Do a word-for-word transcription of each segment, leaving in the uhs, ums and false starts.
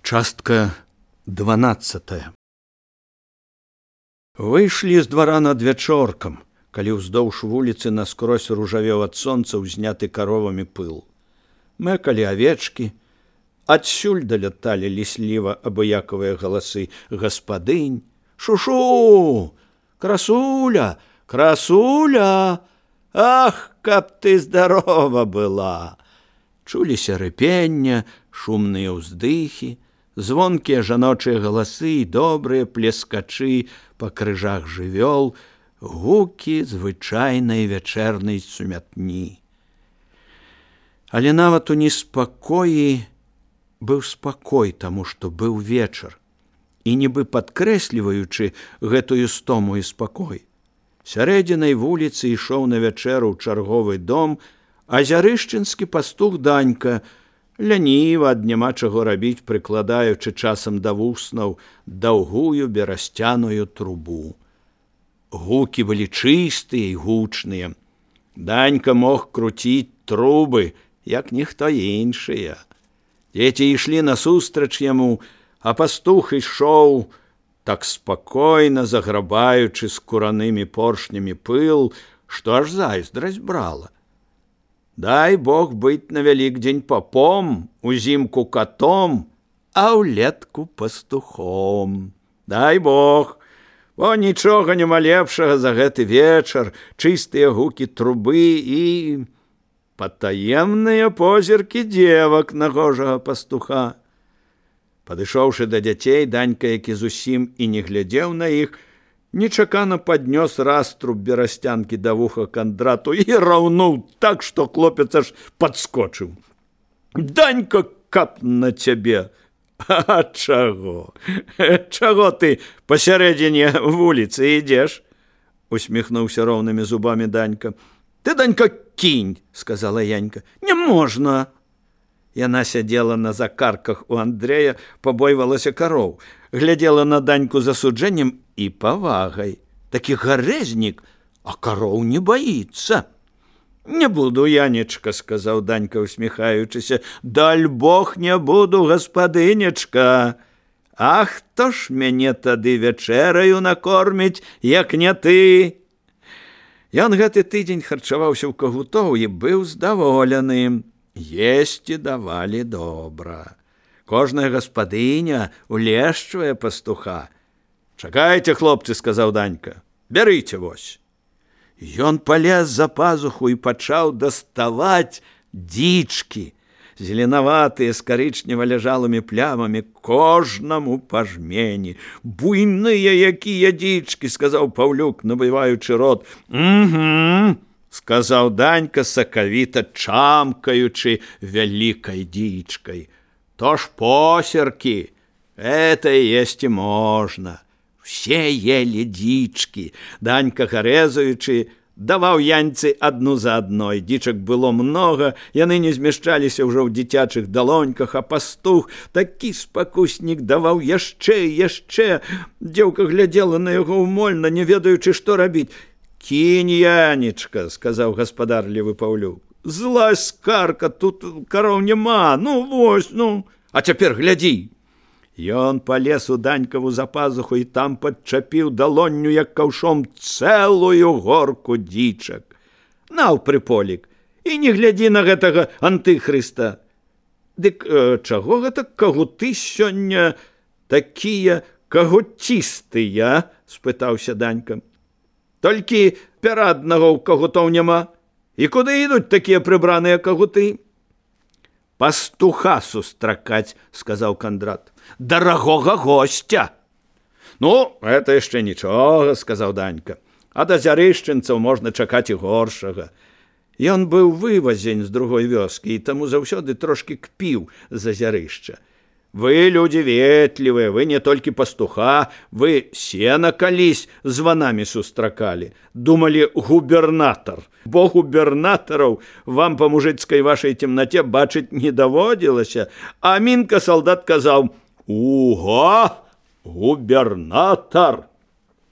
Частка дванаццатая. Выйшлі з двара надвячоркам, калі ўздоўж вуліцы наскрозь ружавеў ад сонца ўзняты каровамі пыл. Мэкалі авечкі, адсюль даляталі лісліва абыякавыя галасы гаспадынь. Шушу! Красуля! Красуля! Ах, каб ты здарова была! Чуліся рыпення, шумныя ўздыхі, звонкія жаночыя галасы і добрыя плескачы па крыжах жывёл, гукі звычайнай вячэрнай сумятні. Але нават у неспакоі быў спакой, таму што быў вечар, і нібы падкрэсліваючы гэтую стому і спакой. Сярэдзінай вуліцы ішоў на вячэру ў чарговы дом азярышчынскі пастух Данька, ляніва ад няма чаго рабіць, прыкладаючы часам да вуснаў даўгую берасцяную трубу. Гукі былі чыстыя і гучныя. Данька мог круціць трубы, як ніхто іншыя. Дзеці ішлі насустрач яму, а пастух ішоў, так спакойна заграбаючы скуранымі поршнямі пыл, што аж зайздрасць брала. Дай Бог быць на Вялікдзень попом, узімку котом, а ўлетку пастухом. Дай Бог, бо нічога няма лепшага за гэты вечар, чыстыя гукі трубы і патаемныя позіркі дзевак нагожага пастуха. Падышоўшы да дзяцей, Данька, які зусім і не глядзеў на іх, нечакана паднёс раструб берасцянкі да вуха Кандрату і раўнуў так, што хлопец аж падскочыў. Данька, кап на цябе! А чаго? Чаго ты пасярэдзіне вуліцы ідзеш? Усміхнуўся роўнымі зубамі Данька. Ты, Данька, кінь, сказала Янька. Не можна. Яна сядзела на закарках у Андрэя, пабойвалася кароў, глядзела на Даньку з асуджэннем і павагай. Такі гарэзнік, а кароў не баіцца. Не буду, Янечка, сказаў Данька, усміхаючыся. Даль Бог, не буду, гаспадынечка. А хто ж мяне тады вячэраю накорміць, як не ты? Ён гэты тыдзень харчаваўся ў Кагутоў і быў здаволены. Есці давалі добра. Кожная гаспадыня улешчвае пастуха. Чакайце, хлопцы, сказаў Данька. Бярыце вось. Ён палез за пазуху і пачаў даставаць дзічкі, зеленаватыя з карычнева-ляжалымі плямамі, кожнаму па жмені. Буйныя якія дзічкі, сказаў Паўлюк, набываючы рот. Угу, сказаў Данька, сакавіта чамкаючы вялікай дзічкай. То ж посеркі, это есці можна. Все ели дзічкі. Данька, гарэзаючы, даваў Яньцы адну за адной. Дзічак было многа, яны не змяшчаліся ўжо ў дзіцячых далоньках, а пастух, такі спакуснік, даваў яшчэ і яшчэ. Дзеўка глядзела на яго ўмольна, не ведаючы, што рабіць. Кінь, Янечка, сказаў гаспадарлівы Паўлюк. Злазь, скарка, тут кароў няма, ну вось, ну. А цяпер глядзі. Ён палез у Данькаву за пазуху і там падчапіў далонню, як каўшом, цэлую горку дзічак. Наў, прыполік, і не глядзі на гэтага антыхрыста. Дык э, чаго гэта кагуты сёння такія кагуцістыя? Спытаўся Данька. Толькі пяра аднаго ў кагутоў няма. І куды ідуць такія прыбраныя кагуты? Пастуха сустракаць, сказаў Кандрат. Дарагога госця. Ну, это яшчэ нічога, сказаў Данька. Ад азярышчынцаў можна чакаць і горшага. Ён быў вывазень з другой вёскі і таму заўсёды трошкі кпіў з азярышча. Вы людзі ветлівыя, вы не толькі пастуха, вы сена калісь з ванамі сустракалі. Думалі, губернатар. Бо губернатараў вам па мужыцкай вашай темнаце бачыць не даводзілася. А Мінка салдат казаў: «Уга, губернатар!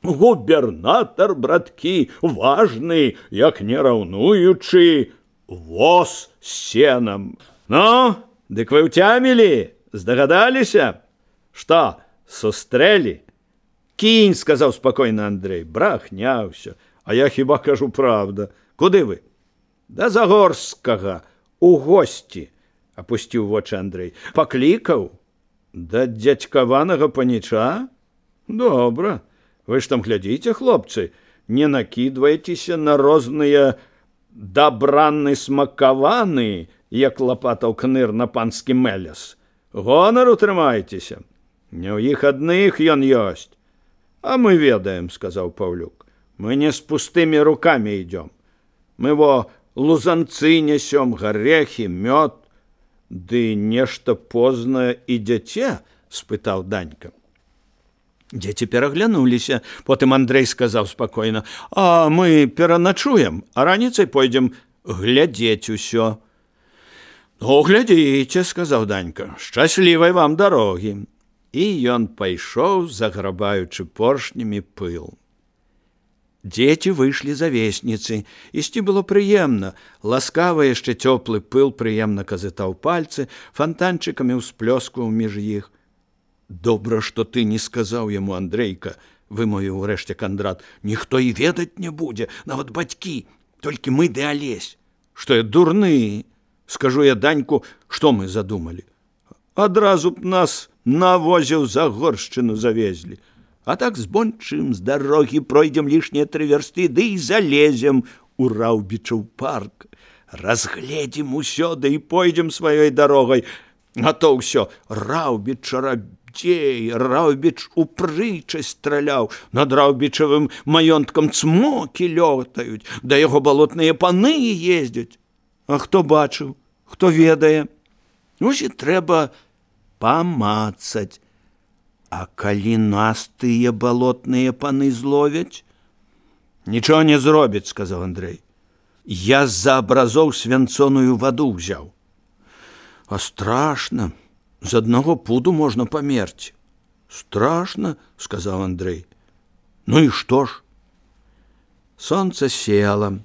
Губернатар, браткі, важны, як не раўнуючы, воз з сенам. Ну, дык вы ўцямілі? Здагадаліся? Што, сустрэлі? Кінь, сказаў спакойна Андрэй. Брахня ўсё. А я хіба кажу правда. Куды вы? Да Загорскага, у госці, апусціў вочы Андрэй. Паклікаў? Да дзядзькаванага паніча? Добра. Вы ж там глядзіце, хлопцы, не накідвайцеся на розныя дабранны смакаваны, як лапатаў кныр на панскі меляс. Гонару трымайцеся. Не ў іх адных ён ёсць. А мы ведаем, сказаў Паўлюк. Мы не з пустымі рукамі ідём. Мы во лузанцы несём, гарэхі, мёд. Ды нешта познае ідзяце? Спытаў Данька. Дзеці пераглянуліся. Потым Андрэй сказаў спакойна: а мы пераначуем, а раніцай пойдзем глядзець усё. Ну, глядзіце, сказаў Данька. Шчаслівай вам дарогі. І ён пайшоў, заграбаючы поршнямі пыл. Дзеці выйшлі за весніцы. Ісці было прыемна. Ласкавы яшчэ цёплы пыл прыемна казытаў пальцы, фантанчыкамі ўсплёскваў між іх. Добра, што ты не сказаў яму, Андрейка, вымовіў урэшце Кандрат. Ніхто і ведаць не будзе, нават бацькі, толькі мы ды Алесь. Што я дурны? Скажу я Даньку, што мы задумалі. Адразу б нас на возе ў Загоршчыну завезлі. А так збончым з дарогі пройдзем лішнія тры вярсты, ды і залезем у Раўбічаў парк. Разгледзім усё, ды і пойдзем сваёй дарогай. А то ўсё Раўбіч чарабдзей, Раўбіч у прычасць страляў, над Раўбічавым маёнткам цмокі лётаюць, да яго балотныя паны ездзяць. А хто бачыў, хто ведае? Вось і трэба памацаць. А калі нас тыя балотныя паны зловяць? Нічого не зробіць, сказаў Андрэй. Я з-за абразоў свянцоную ваду ўзяў. А страшна, з аднаго пуду можна памерці. Страшна, сказаў Андрэй. Ну і што ж? Сонца села.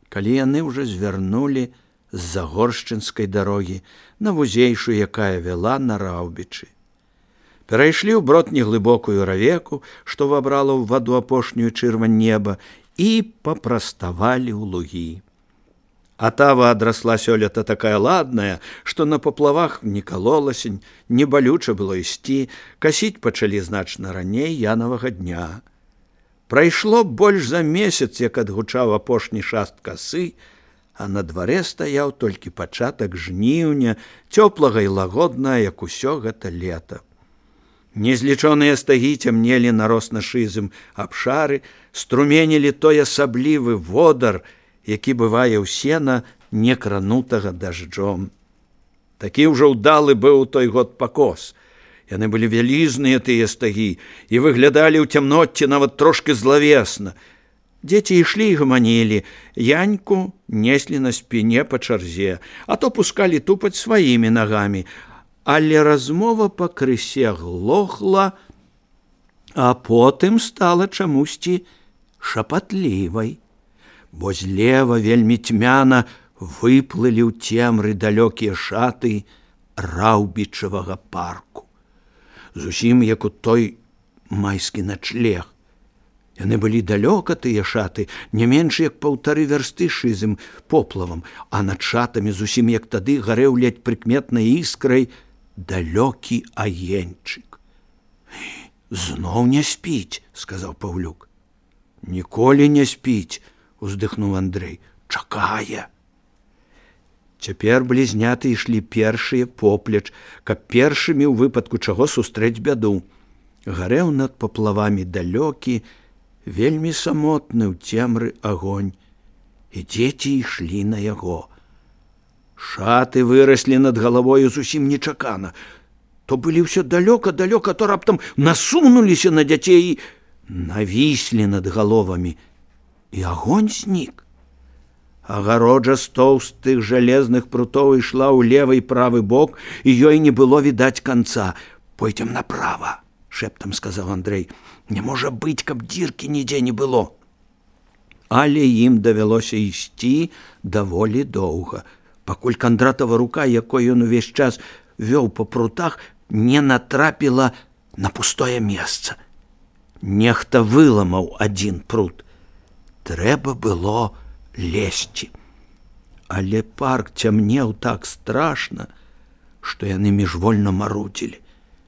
Калі яны ўжо звярнулі з Загоршчынскай дарогі на вузейшую, якая вяла на Раўбічы. Перайшлі ў брод неглыбокую равеку, што вабрала ў ваду апошнюю чырвань неба, і папраставалі ў лугі. Атава адрасла сёлета такая ладная, што на паплавах не калолася, не балюча было ісці, касіць пачалі значна раней янавага дня. Прайшло больш за месяц, як адгучаў апошні шаст касы, а на дварэ стаяў толькі пачатак жніўня, цёплага і лагоднага, як усё гэта лета. Незлічоныя стагі цямнелі на росна-шызым абшары, струменілі той асаблівы водар, які бывае ў сена, не кранутага дажджом. Такі ўжо ўдалы быў той год пакос. Яны былі вялізныя, тыя стагі, і выглядалі ў цямноце нават трошки злавесна. Дзеці ішлі і гаманілі, Яньку неслі на спіне па чарзе, а то пускалі тупаць сваімі нагамі. Але размова пакрысе глохла, а потым стала чамусьці шапатлівай, бо злева вельмі цьмяна выплылі ў цемры далёкія шаты Раўбічавага парку. Зусім як у той майскі начлег. Яны былі далёка, тыя шаты, не менш як паўтары вярсты шызым поплавам, а над шатамі зусім як тады гарэў ледь прыкметнай іскрай далёкі агеньчык. Зноў не спіць, сказаў Паўлюк. Ніколі не спіць, уздыхнуў Андрэй. Чакае. Цяпер блізняты ішлі першыя поплеч, каб першымі ў выпадку чаго сустрэць бяду. Гарэў над паплавамі далёкі, вельмі самотны ў цемры агонь, і дзеці ішлі на яго. Шаты выраслі над галавою зусім нечакана. То былі ўсё далёка-далёка, то раптам насунуліся на дзяцей і навіслі над галовамі. І агонь знік. Агароджа з тоўстых жалезных прутоў ішла ў левы і правы бок, і ёй не было відаць канца. Пойдзем направа, шэптам сказаў Андрэй. Не можа быць, каб дзіркі нідзе не было. Але ім давялося ісці даволі доўга, пакуль Кандратава рука, якой ён увесь час вёў па прутах, не натрапіла на пустое месца. Нехта выламаў адзін прут. Трэба было лезці. Але парк цямнеў так страшна, што яны міжвольна марудзілі.